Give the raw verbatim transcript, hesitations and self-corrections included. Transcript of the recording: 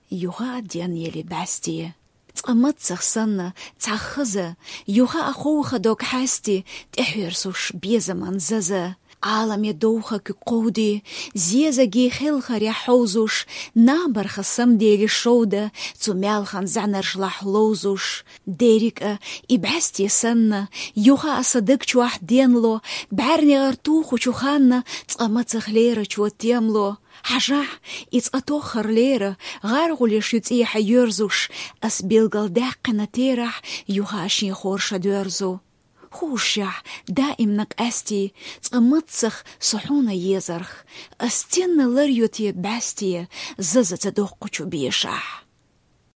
Юха а ден ели бӀаьсте. Цкъа маццах санна цхьа хаза, юха а ховха дог хьаьсти, тӀехьоьрсуш безаман заза. Ӏаламе довха куьг кховди, зезаги хелхарехь хьовзуш, набарха самдели шовда, цу маьлхан зӀанаршлахь ловзуш. Дерриг а и бӀаьсте санна, юха а сан даг чохь денло, бӀаьрнегӀар тухучу ханна цкъа мацах лерачо темло. Хьажахь, и цкъа тоххар лера, гӀаргӀулеш ю цӀехьа йоьрзуш, ас билгал даьккхина терахь, юха а шен хорша доьрзу. Хушшехь, даимна къаьсти, цкъа маццах со хьуна езарх, ас стенна лар ю те бӀаьсте, заза ца доккхучу бешахь.